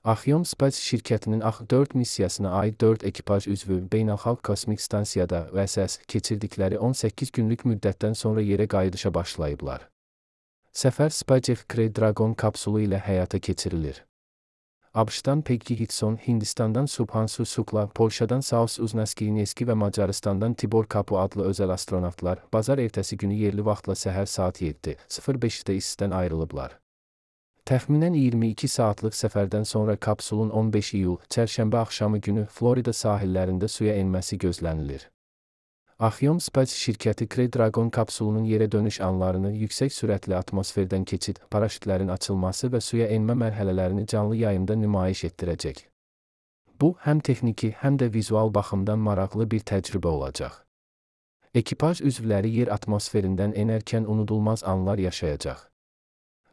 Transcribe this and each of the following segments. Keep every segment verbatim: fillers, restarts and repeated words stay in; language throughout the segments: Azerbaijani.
Axiom Space şirkətinin A X dörd missiyasına aid dörd ekipaj üzvü Beynəlxalq Kosmik Stansiyada U S S keçirdikləri on səkkiz günlük müddətdən sonra yerə qayıdışa başlayıblar. Səfər SpaceX Crew Dragon kapsulu ilə həyata keçirilir. ABŞ-dan Peggy Hickson, Hindistandan Subhansu Shukla, Polşadan Saus Uznaskineski və Macarıstandan Tibor Kapu adlı özəl astronavtlar bazar ertəsi günü yerli vaxtla səhər saat yeddi sıfır beşdə İSS-dən ayrılıblar. Təxminən iyirmi iki saatlıq səfərdən sonra kapsulun on beş iyul, çərşənbə axşamı günü Florida sahillərində suya enməsi gözlənilir. Axiom Space şirkəti Crew Dragon kapsulunun yerə dönüş anlarını, yüksək sürətli atmosferdən keçid, paraşütlərin açılması və suya enmə mərhələlərini canlı yayımda nümayiş etdirəcək. Bu, həm texniki, həm də vizual baxımdan maraqlı bir təcrübə olacaq. Ekipaj üzvləri yer atmosferindən enərkən unudulmaz anlar yaşayacaq.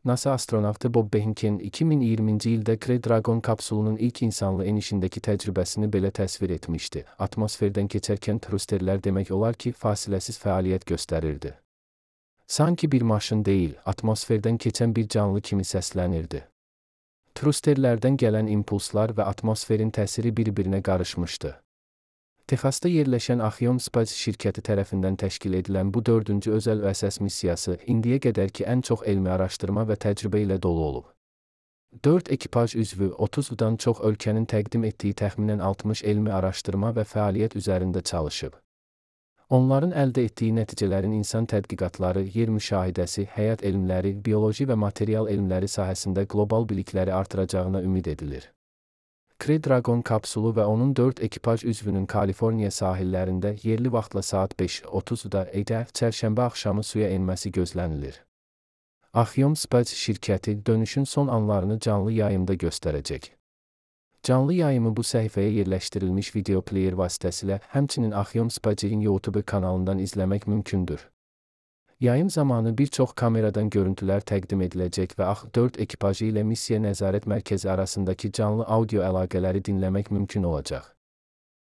NASA astronavtı Bob Behnken iki min iyirminci ildə Crew Dragon kapsulunun ilk insanlı enişindəki təcrübəsini belə təsvir etmişdi. Atmosferdən keçərkən trusterlər demək olar ki, fasiləsiz fəaliyyət göstərirdi. Sanki bir maşın deyil, atmosferdən keçən bir canlı kimi səslənirdi. Trusterlərdən gələn impulslar və atmosferin təsiri bir-birinə qarışmışdı. Texasda yerləşən Axiom Space şirkəti tərəfindən təşkil edilən bu dördüncü özəl U S S missiyası indiyə qədərki ən çox elmi araşdırma və təcrübə ilə dolu olub. dörd ekipaj üzvü otuzdan çox ölkənin təqdim etdiyi təxminən altmış elmi araşdırma və fəaliyyət üzərində çalışıb. Onların əldə etdiyi nəticələrin insan tədqiqatları, yer müşahidəsi, həyat elmləri, bioloji və material elmləri sahəsində qlobal bilikləri artıracağına ümid edilir. Crew Dragon kapsulu və onun dörd ekipaj üzvünün Kaliforniya sahillərində yerli vaxtla saat beş otuzda çərşənbə axşamı suya enməsi gözlənilir. Axiom Space şirkəti dönüşün son anlarını canlı yayımda göstərəcək. Canlı yayımı bu səhifəyə yerləşdirilmiş video player vasitəsilə, həmçinin Axiom Space'in YouTube kanalından izləmək mümkündür. Yayım zamanı bir çox kameradan görüntülər təqdim ediləcək və A X dörd ekipajı ilə missiya nəzarət mərkəzi arasındakı canlı audio əlaqələri dinləmək mümkün olacaq.